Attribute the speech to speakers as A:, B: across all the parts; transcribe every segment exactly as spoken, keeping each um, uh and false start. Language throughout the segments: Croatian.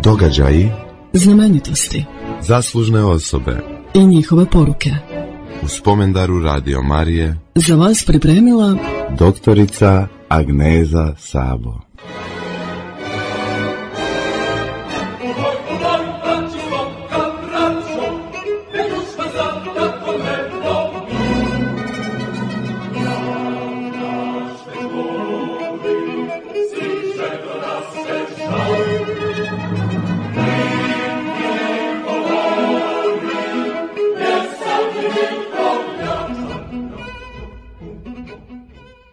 A: Događaji,
B: znamenitosti,
A: zaslužne osobe
B: i njihove poruke.
A: U spomendaru Radio Marije
B: Za vas pripremila
A: doktorica Agneza Sabo.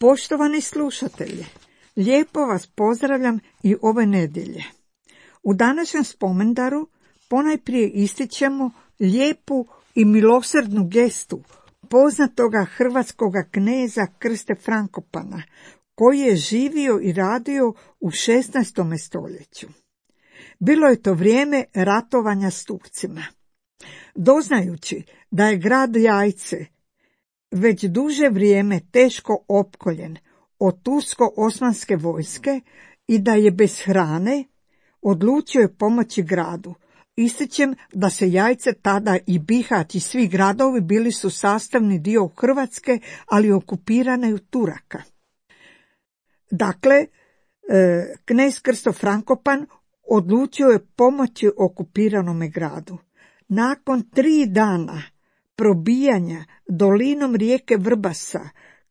C: Poštovani slušatelji, lijepo vas pozdravljam i ove nedjelje. U današnjem spomendaru ponajprije ističemo lijepu i milosrdnu gestu poznatoga hrvatskoga kneza Krste Frankopana, koji je živio i radio u šesnaestom stoljeću. Bilo je to vrijeme ratovanja s Turcima. Doznajući da je grad Jajce već duže vrijeme teško opkoljen od tursko-osmanske vojske i da je bez hrane, odlučio je pomoći gradu. Ističem da se Jajce tada i Bihać i svi gradovi bili su sastavni dio Hrvatske, ali okupirane od Turaka. Dakle, knez Krsto Frankopan odlučio je pomoći okupiranome gradu. Nakon tri dana probijanja dolinom rijeke Vrbasa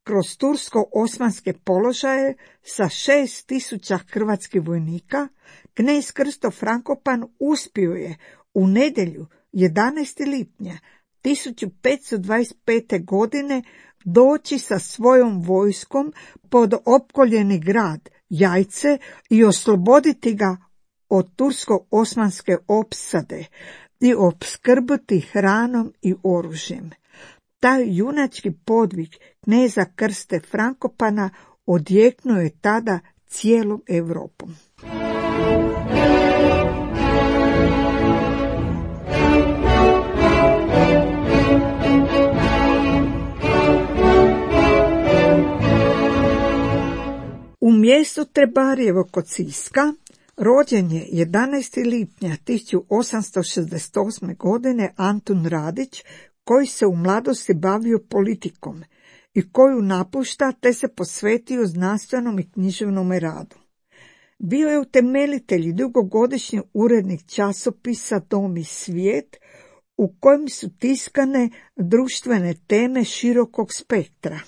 C: kroz tursko-osmanske položaje sa šest tisuća hrvatskih vojnika, knez Krsto Frankopan uspio je u nedjelju jedanaestog lipnja tisuću petsto dvadeset pete. godine doći sa svojom vojskom pod opkoljeni grad Jajce i osloboditi ga od tursko-osmanske opsade i opskrbiti hranom i oružjem. Taj junački podvig kneza Krste Frankopana odjeknuo je tada cijelom Europom. U mjestu Trebarijevo kod Siska rođen je jedanaestog lipnja tisuću osamsto šezdeset osme. godine Antun Radić, koji se u mladosti bavio politikom i koju napušta te se posvetio znanstvenom i književnom radu. Bio je utemeljitelj i dugogodišnji urednik časopisa Dom i svijet, u kojem su tiskane društvene teme širokog spektra.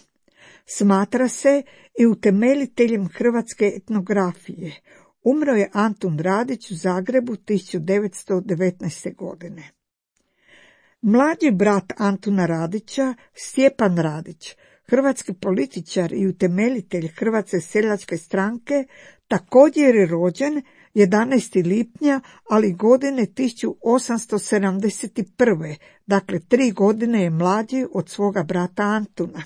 C: Smatra se i utemeljiteljem hrvatske etnografije. Umro je Antun Radić u Zagrebu tisuću devetsto devetnaeste. godine. Mlađi brat Antuna Radića, Stjepan Radić, hrvatski političar i utemeljitelj Hrvatske seljačke stranke, također je rođen jedanaestog lipnja, ali godine tisuću osamsto sedamdeset prve. Dakle, tri godine je mlađi od svoga brata Antuna.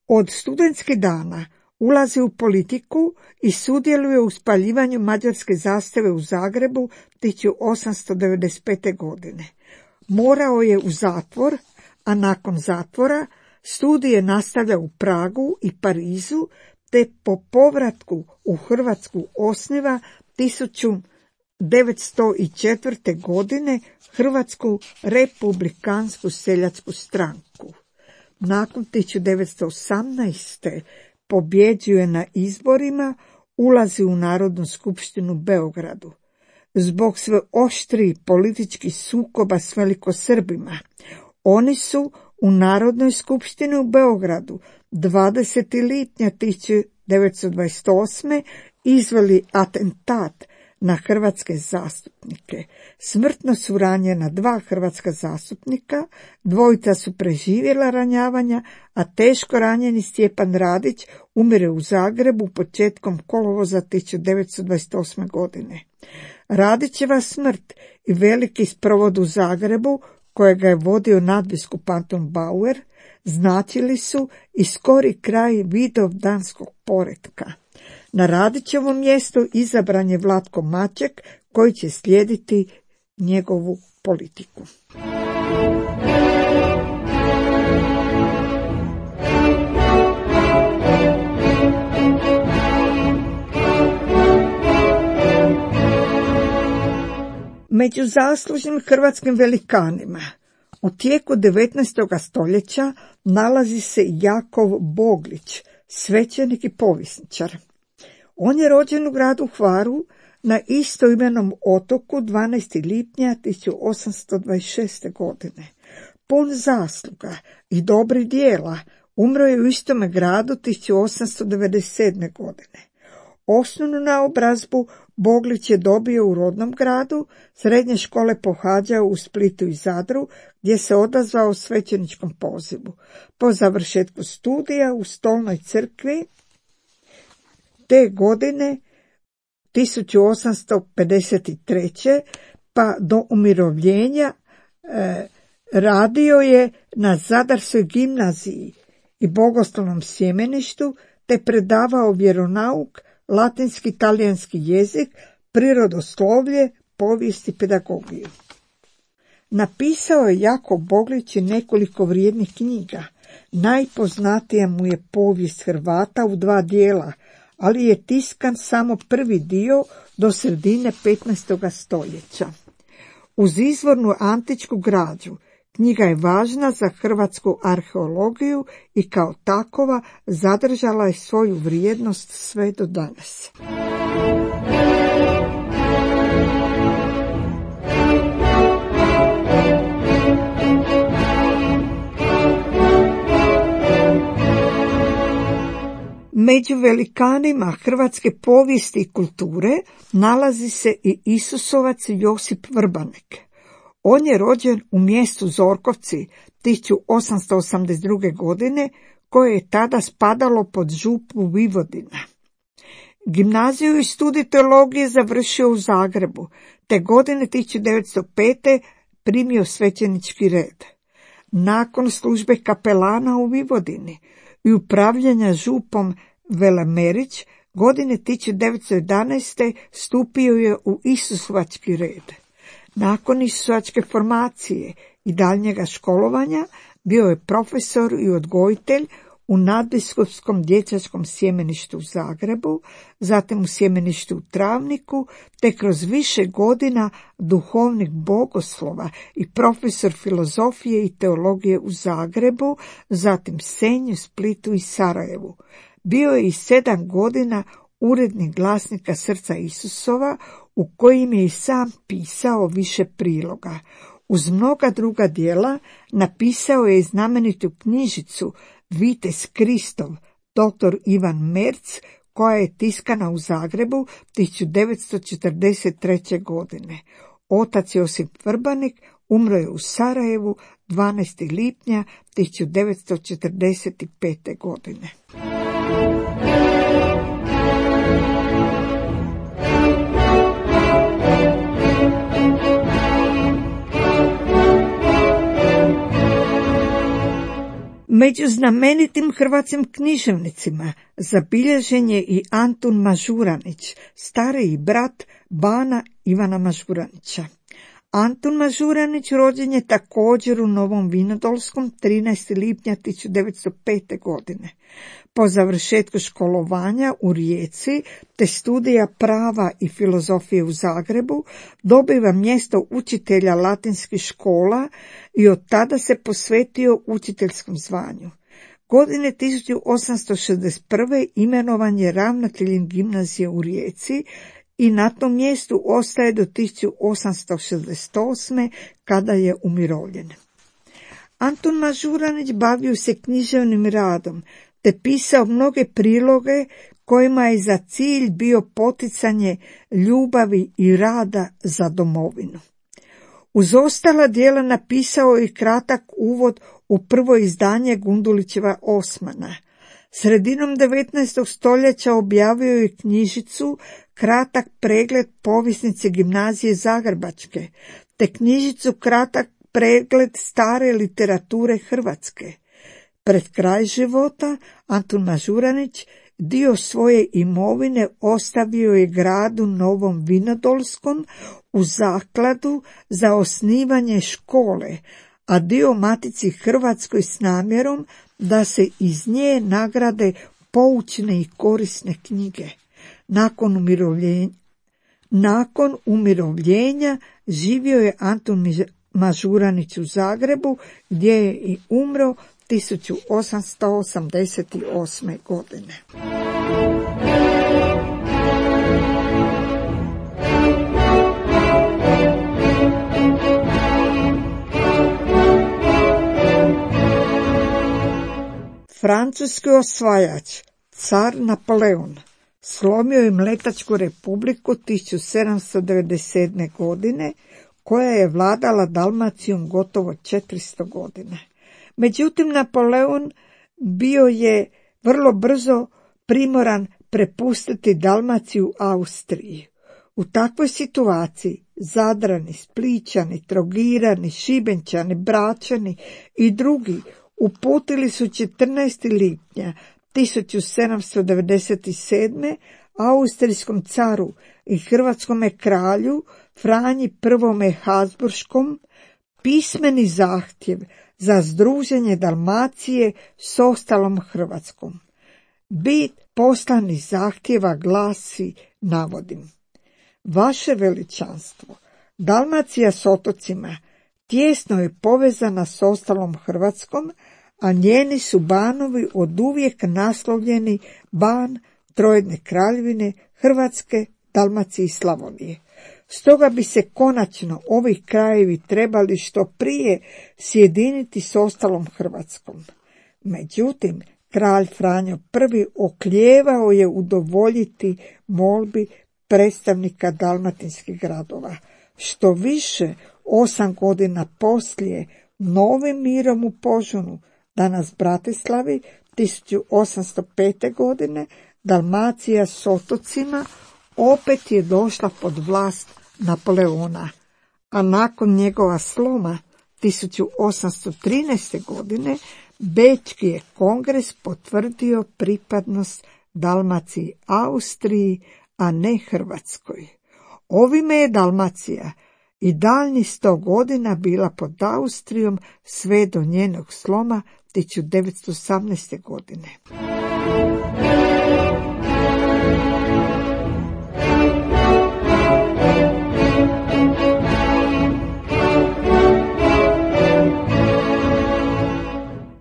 C: Od studentskih dana ulazi u politiku i sudjeluje u spaljivanju mađarske zastave u Zagrebu tisuću osamsto devedeset pete. godine. Morao je u zatvor, a nakon zatvora studije nastavlja u Pragu i Parizu, te po povratku u Hrvatsku osniva tisuću devetsto četvrte. godine Hrvatsku republikansku seljačku stranku. Nakon tisuću devetsto osamnaeste. pobjeđuje na izborima, ulazi u Narodnu skupštinu u Beogradu. Zbog sve oštrih političkih sukoba s velikosrbima, oni su u Narodnoj skupštini u Beogradu dvadesetog lipnja tisuću devetsto dvadeset osme. izveli atentat na hrvatske zastupnike. Smrtno su ranjena dva hrvatska zastupnika, dvojica su preživjela ranjavanja, a teško ranjeni Stjepan Radić umire u Zagrebu početkom kolovoza tisuću devetsto dvadeset osme. godine. Radićeva smrt i veliki sprovod u Zagrebu, kojega je vodio nadbiskup Anton Bauer, značili su i skori kraj vidovdanskog poretka. Na Radićevom mjestu izabran je Vlatko Maček, koji će slijediti njegovu politiku. Među zaslužnim hrvatskim velikanima u tijeku devetnaestog stoljeća nalazi se Jakov Boglić, svećenik i povjesničar. On je rođen u gradu Hvaru na istoimenom otoku dvanaestog lipnja tisuću osamsto dvadeset šeste. godine. Pun zasluga i dobrih djela, umro je u istome gradu tisuću osamsto devedeset sedme. godine. Osnovnu naobrazbu Boglić je dobio u rodnom gradu, srednje škole pohađao u Splitu i Zadru, gdje se odazvao svećeničkom pozivu. Po završetku studija u Stolnoj crkvi te godine tisuću osamsto pedeset treće. pa do umirovljenja e, radio je na Zadarskoj gimnaziji i bogoslovnom sjemeništu, te predavao vjeronauk, latinski, talijanski jezik, prirodoslovlje, povijest i pedagogiju. Napisao je Jakov Boglić i nekoliko vrijednih knjiga. Najpoznatija mu je povijest Hrvata u dva dijela, ali je tiskan samo prvi dio do sredine petnaestog stoljeća. Uz izvornu antičku građu, knjiga je važna za hrvatsku arheologiju i kao takova zadržala je svoju vrijednost sve do danas. Među velikanima hrvatske povijesti i kulture nalazi se i Isusovac Josip Vrbanek. On je rođen u mjestu Zorkovci tisuću osamsto osamdeset druge. godine, koje je tada spadalo pod župu Vojvodina. Gimnaziju i studij teologije završio u Zagrebu, te godine tisuću devetsto pete. primio svećenički red. Nakon službe kapelana u Vojvodini i upravljanja župom Velemerić, godine tisuću devetsto jedanaeste. stupio je u Isusovački red. Nakon isusovačke formacije i daljnjega školovanja bio je profesor i odgojitelj u nadbiskupskom dječačkom sjemeništu u Zagrebu, zatim u sjemeništu u Travniku, te kroz više godina duhovnik bogoslova i profesor filozofije i teologije u Zagrebu, zatim Senju, Splitu i Sarajevu. Bio je i sedam godina urednik glasnika Srca Isusova, u kojim je i sam pisao više priloga. Uz mnoga druga djela napisao je i znamenitu knjižicu Vitez Kristov, doktor Ivan Merc, koja je tiskana u Zagrebu tisuću devetsto četrdeset treće. godine. Otac Josip Vrbanik umro je u Sarajevu dvanaestog lipnja tisuću devetsto četrdeset pete. godine. Među znamenitim hrvatskim književnicima zabilježen je i Antun Mažuranić, stariji brat bana Ivana Mažuranića. Antun Mažuranić rođen je također u Novom Vinodolskom trinaestog lipnja tisuću devetsto pete. godine. Po završetku školovanja u Rijeci te studija prava i filozofije u Zagrebu dobiva mjesto učitelja latinskih škola i od tada se posvetio učiteljskom zvanju. Godine tisuću osamsto šezdeset prve. imenovan je ravnateljem gimnazije u Rijeci i na tom mjestu ostaje do tisuću osamsto šezdeset osme. kada je umirovljen. Antun Mažuranić bavio se književnim radom, te pisao mnoge priloge kojima je za cilj bio poticanje ljubavi i rada za domovinu. Uz ostala djela napisao je kratak uvod u prvo izdanje Gundulićeva Osmana. Sredinom devetnaestog stoljeća objavio je knjižicu Kratak pregled povjesnice gimnazije Zagrebačke, te knjižicu Kratak pregled stare literature Hrvatske. Pred kraj života Antun Mažuranić dio svoje imovine ostavio je gradu Novom Vinodolskom u zakladu za osnivanje škole, a dio Matici Hrvatskoj s namjerom da se iz nje nagrade poučne i korisne knjige. Nakon umirovljenja, Nakon umirovljenja živio je Antun Mažuranić u Zagrebu, gdje je i umro tisuću osamsto osamdeset osme. godine. Francuski osvajač, car Napoleon, slomio je Mletačku republiku tisuću sedamsto devedeset sedme. godine, koja je vladala Dalmacijom gotovo četiristo godina. Međutim, Napoleon bio je vrlo brzo primoran prepustiti Dalmaciju Austriji. U takvoj situaciji Zadrani, Splićani, Trogirani, Šibenčani, Bračani i drugi uputili su četrnaestog lipnja tisuću sedamsto devedeset sedme. austrijskom caru i hrvatskome kralju Franji prvome Habsburškom pismeni zahtjev za združenje Dalmacije s ostalom Hrvatskom. Bit poslanih zahtjeva glasi, navodim: Vaše veličanstvo, Dalmacija s otocima tijesno je povezana s ostalom Hrvatskom, a njeni su banovi oduvijek naslovljeni ban Trojedne kraljevine Hrvatske, Dalmacije i Slavonije. Stoga bi se konačno ovi krajevi trebali što prije sjediniti s ostalom Hrvatskom. Međutim, kralj Franjo prvi oklijevao je udovoljiti molbi predstavnika dalmatinskih gradova. Što više, osam godina poslije, novim mirom u Požunu, danas Bratislavi, tisuću osamsto pete. godine, Dalmacija s otocima opet je došla pod vlast Napoleona, a nakon njegova sloma tisuću osamsto trinaeste. godine Bečki je kongres potvrdio pripadnost Dalmaciji Austriji, a ne Hrvatskoj. Ovime je Dalmacija i daljnjih sto godina bila pod Austrijom sve do njenog sloma tisuću devetsto osamnaeste. godine.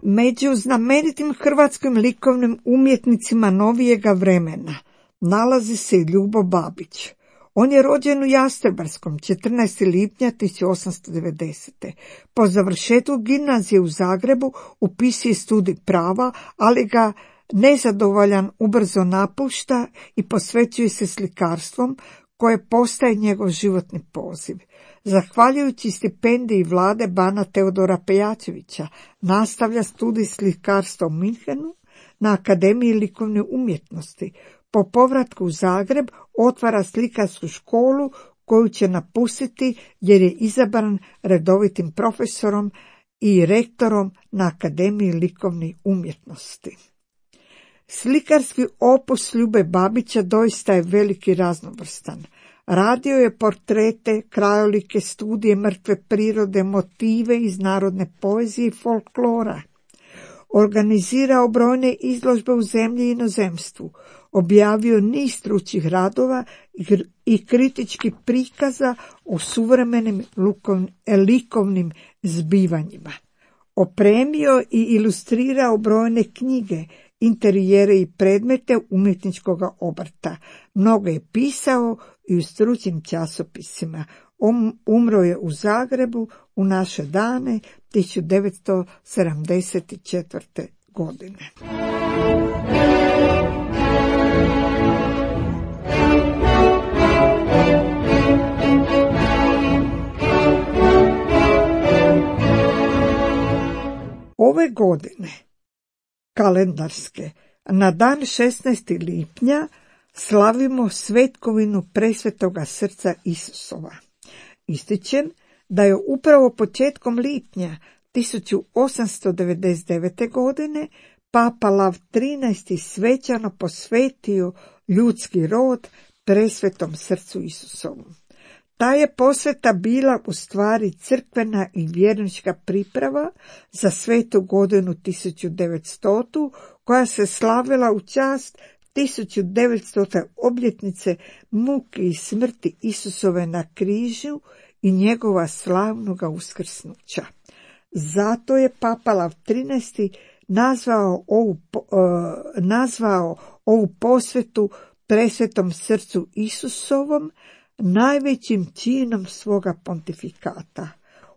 C: Među znamenitim hrvatskim likovnim umjetnicima novijega vremena nalazi se i Ljubo Babić. On je rođen u Jastrebarskom četrnaestog lipnja tisuću osamsto devedesete. Po završetku gimnazije u Zagrebu upisuje studij prava, ali ga nezadovoljan ubrzo napušta i posvećuje se slikarstvom, koje postaje njegov životni poziv. Zahvaljujući stipendiji vlade bana Teodora Pejačevića, nastavlja studij slikarstva u Minhenu na Akademiji likovne umjetnosti. Po povratku u Zagreb otvara slikarsku školu koju će napustiti jer je izabran redovitim profesorom i rektorom na Akademiji likovne umjetnosti. Slikarski opus Ljube Babića doista je veliki i raznovrstan. Radio je portrete, krajolike, studije mrtve prirode, motive iz narodne poezije i folklora. Organizirao brojne izložbe u zemlji i inozemstvu. Objavio niz stručnih radova i kritičkih prikaza o suvremenim likovnim zbivanjima. Opremio i ilustrirao brojne knjige, interijere i predmete umjetničkog obrta. Mnogo je pisao i u stručnim časopisima. Um, umro je u Zagrebu u naše dane tisuću devetsto sedamdeset četvrte. godine. Ove godine, kalendarske, na dan šesnaestog lipnja slavimo svetkovinu Presvetoga srca Isusova. Ističem da je upravo početkom lipnja tisuću osamsto devedeset devete. godine Papa Lav trinaesti. svečano posvetio ljudski rod Presvetom srcu Isusovom. Ta je posveta bila u stvari crkvena i vjernička priprava za svetu godinu tisuću devetstotu. koja se slavila u čast tisuću devetstote obljetnice muke i smrti Isusove na križu i njegova slavnoga uskrsnuća. Zato je Papa Lav trinaesti nazvao ovu, uh, nazvao ovu posvetu presvetom srcu Isusovom najvećim činom svoga pontifikata.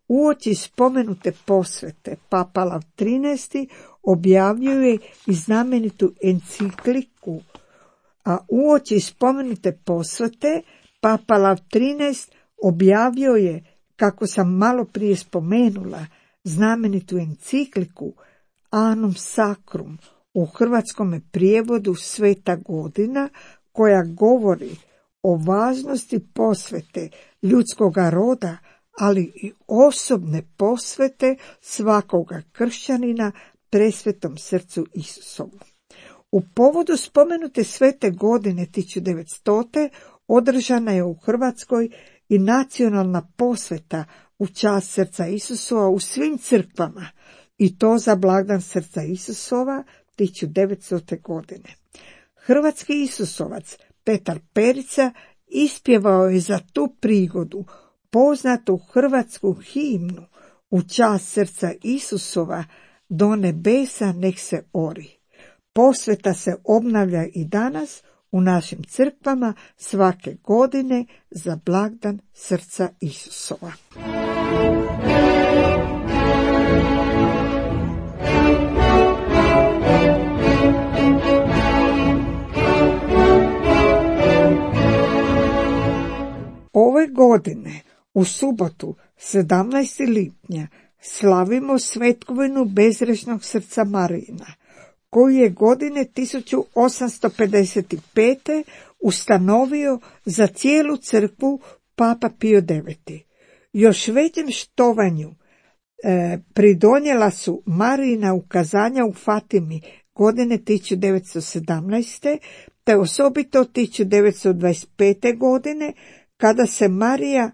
C: Uoči spomenute posvete Papa Lav trinaesti objavljuje i znamenitu encikliku, a uoči spomenute posvete Papa Lav trinaesti objavio je, kako sam malo prije spomenula, znamenitu encikliku Annum Sacrum, u hrvatskome prijevodu Sveta godina, koja govori o važnosti posvete ljudskoga roda, ali i osobne posvete svakoga kršćanina presvetom srcu Isusovu. U povodu spomenute svete godine tisuću devetstote održana je u Hrvatskoj i nacionalna posveta u čast srca Isusova u svim crkvama, i to za blagdan srca Isusova tisuću devetstote godine. Hrvatski Isusovac Petar Perica ispjevao je za tu prigodu poznatu hrvatsku himnu u čast srca Isusova Do nebesa nek se ori. Posveta se obnavlja i danas u našim crkvama svake godine za blagdan srca Isusova. Ove godine, u subotu, sedamnaestog lipnja, slavimo svetkovinu bezgrešnog srca Marijina, koju je godine tisuću osamsto pedeset pete ustanovio za cijelu crkvu Papa Pio deveti. Još većem štovanju e, pridonijela su Marijina ukazanja u Fatimi godine tisuću devetsto sedamnaeste. te osobito tisuću devetsto dvadeset pete. godine, kada se Marija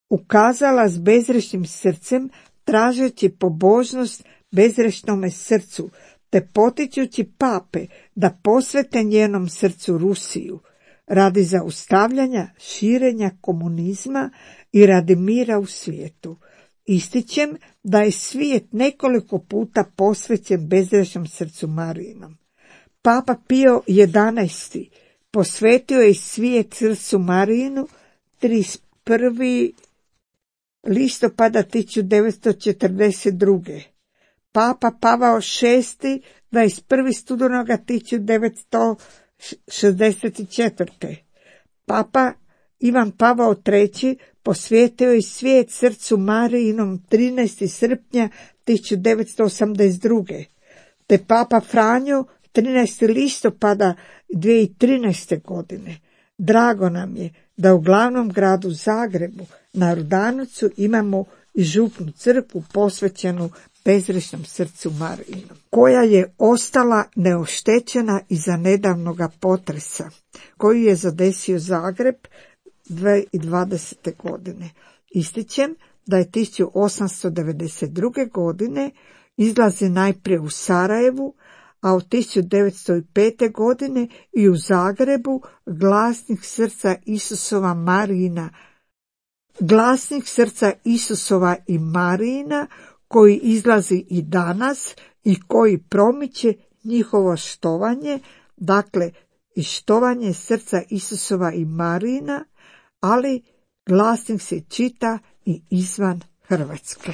C: ukazala s bezgrešnim srcem, tražeći pobožnost bezgrešnome srcu, te potičući pape da posvete njenom srcu Rusiju, radi zaustavljanja širenja komunizma i radi mira u svijetu. Ističem da je svijet nekoliko puta posvećen bezgrešnom srcu Marijinom. Papa Pio jedanaesti posvetio je svijet srcu Marijinu trideset prvog listopada tisuću devetsto četrdeset druge. Papa Pavao šesti dvadeset prvog studenoga tisuću devetsto šezdeset četvrte. Papa Ivan Pavao treći posvetio je svijet srcu Marijinom trinaestog srpnja tisuću devetsto osamdeset druge. te Papa Franjo trinaestog listopada dvije tisuće trinaeste. godine. Drago nam je da u glavnom gradu Zagrebu na Rudanovcu imamo i župnu crkvu posvećenu bezgrešnom srcu Marijinom, koja je ostala neoštećena iza nedavnoga potresa koji je zadesio Zagreb dvije tisuće dvadesete. godine. Ističem da je tisuću osamsto devedeset druge. godine izlazi najprije u Sarajevu, a od tisuću devetsto pete. godine i u Zagrebu glasnik srca Isusova Marijina, glasnik srca Isusova i Marijina, koji izlazi i danas i koji promiče njihovo štovanje, dakle i štovanje srca Isusova i Marijina, ali glasnik se čita i izvan Hrvatske.